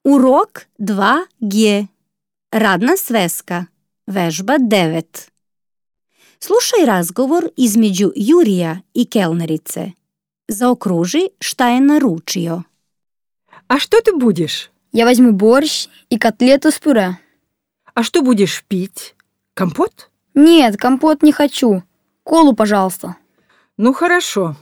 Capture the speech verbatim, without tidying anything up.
Урок два Г. Radna sveska. Vežba devet. Slušaj razgovor između Jurija i kelnerice. Zaokruži šta je naručio. А что ты будешь? Я возьму борщ и котлету с пюре. А что будешь пить? Компот? Нет, компот не хочу. Колу, пожалуйста. Ну хорошо.